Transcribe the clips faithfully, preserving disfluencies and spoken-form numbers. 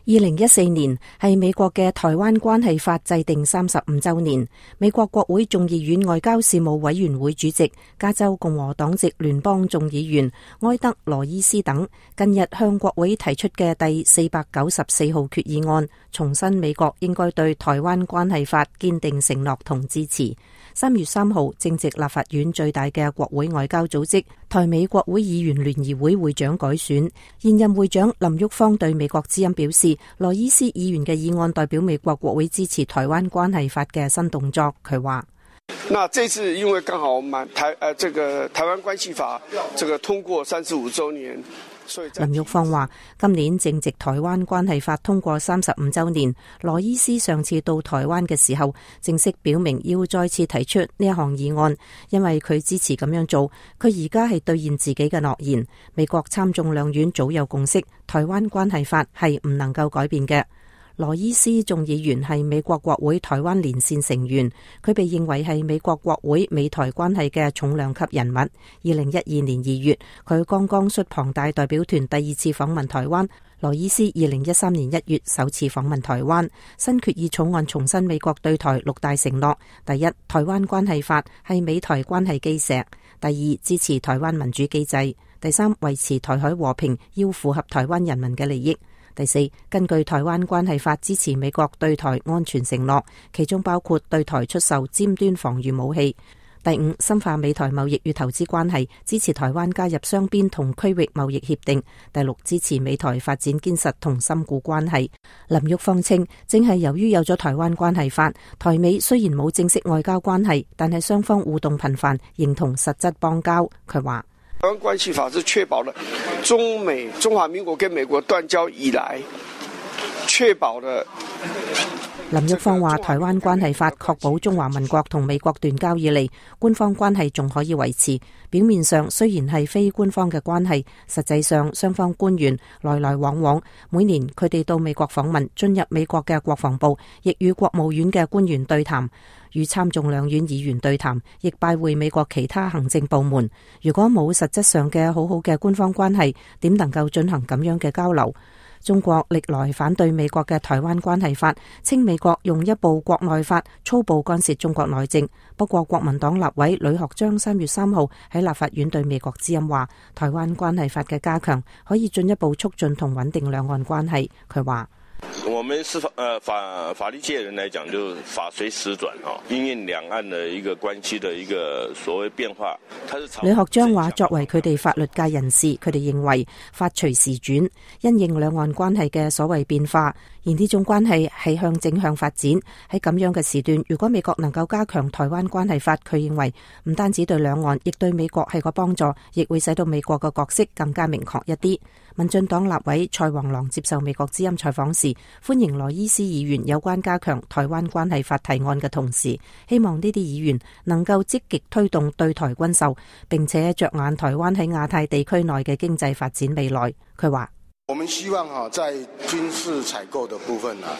二零一四年係美國嘅台灣關係法制定三十五週年。美國國會眾議院外交事務委員會主席、加州共和黨籍聯邦眾議員埃德羅伊斯等近日向國會提出嘅第四百九十四號決議案，重申美國應該對台灣關係法堅定承諾同支持。三月三號，正值立法院最大嘅國會外交組織台美國會議員聯誼會會長改選，現任會長林郁方對美國之音表示，羅伊斯議員嘅議案代表美國國會支持台灣關係法嘅新動作。佢話：那這次因為剛好滿台誒、呃，這個台灣關係法這個通過三十五週年。林郁方話：今年正值台灣關係法通過三十五週年。羅伊斯上次到台灣嘅時候，正式表明要再次提出呢一項議案，因為佢支持咁樣做。佢而家係兌現自己嘅諾言。美國參眾兩院早有共識，台灣關係法係唔能夠改變嘅。羅伊斯眾議員係美國國會台灣連線成員，佢被認為係美國國會美台關係嘅重量級人物。二零一二年二月，佢剛剛率龐大代表團第二次訪問台灣。羅伊斯二零一三年一月首次訪問台灣。新決議草案重申美國對台六大承諾：第一，台灣關係法係美台關係基石；第二，支持台灣民主機制；第三，維持台海和平要符合台灣人民嘅利益。第四，根據台灣關係法支持美國對台安全承諾，其中包括對台出售尖端防禦武器。第五，深化美台貿易與投資關係，支持台灣加入雙邊同區域貿易協定。第六，支持美台發展堅實同深固關係。林郁方稱，正係由於有咗台灣關係法，台美雖然冇正式外交關係，但係雙方互動頻繁，形同實質邦交。佢話：台灣關係法是確保了中美中華民國跟美國斷交以來，確保了。林郁方話：台灣關係法確保中華民國同美國斷交以嚟，官方關係仲可以維持。表面上雖然係非官方嘅關係，實際上雙方官員來來往往。每年佢哋到美國訪問，進入美國嘅國防部，亦與國務院嘅官員對談，與參眾兩院議員對談，亦拜會美國其他行政部門。如果冇實質上嘅好好嘅官方關係，點能夠進行咁樣嘅交流？中國歷來反對美國嘅台灣關係法，稱美國用一部國內法粗暴干涉中國內政。不過國民黨立委呂學章三月三號喺立法院對美國之音話，台灣關係法嘅加強可以進一步促進同穩定兩岸關係。佢話：我們是法呃法法律界人來講，就法隨時轉哦，因應兩岸的一個關係的一個所謂變化。呂學章話：作為佢哋法律界人士，佢哋認為法隨時轉，因應兩岸關係嘅所謂變化，而呢種關係係向正向發展。喺咁樣嘅時段，如果美國能夠加強台灣關係法，佢認為唔單止對兩岸，亦對美國係個幫助，亦會使到美國嘅角色更加明確一啲。民進黨立委蔡黃郎接受美國之音採訪時，歡迎羅伊斯議員有關加強台灣關係法提案嘅同時，希望呢啲議員能夠積極推動對台軍售，並且着眼台灣喺亞太地區內嘅經濟發展未來。佢話：我們希望哈，在軍事採購的部分啊，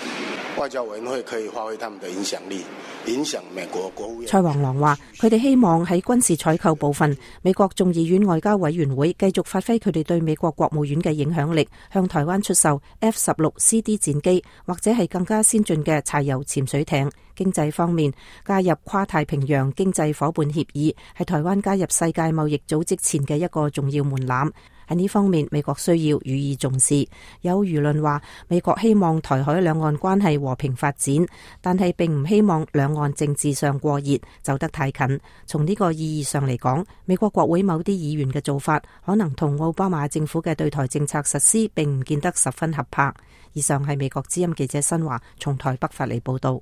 外交委員會可以發揮他們的影響力，影響美國國務院。蔡黃郎話：佢哋希望喺軍事採購部分，美國眾議院外交委員會繼續發揮佢哋對美國國務院嘅影響力，向台灣出售 F 十六 C D 戰機，或者係更加先進嘅柴油潛水艇。經濟方面，加入跨太平洋經濟夥伴協議，係台灣加入世界貿易組織前嘅一個重要門檻。喺呢方面，美國需要予以重視。有輿論話，美國希望台海兩岸關係和平發展，但係並唔希望兩岸政治上過熱，走得太近。從呢個意義上嚟講，美國國會某啲議員嘅做法，可能同奧巴馬政府嘅對台政策實施並唔見得十分合拍。以上係美國之音記者新華從台北發嚟報道。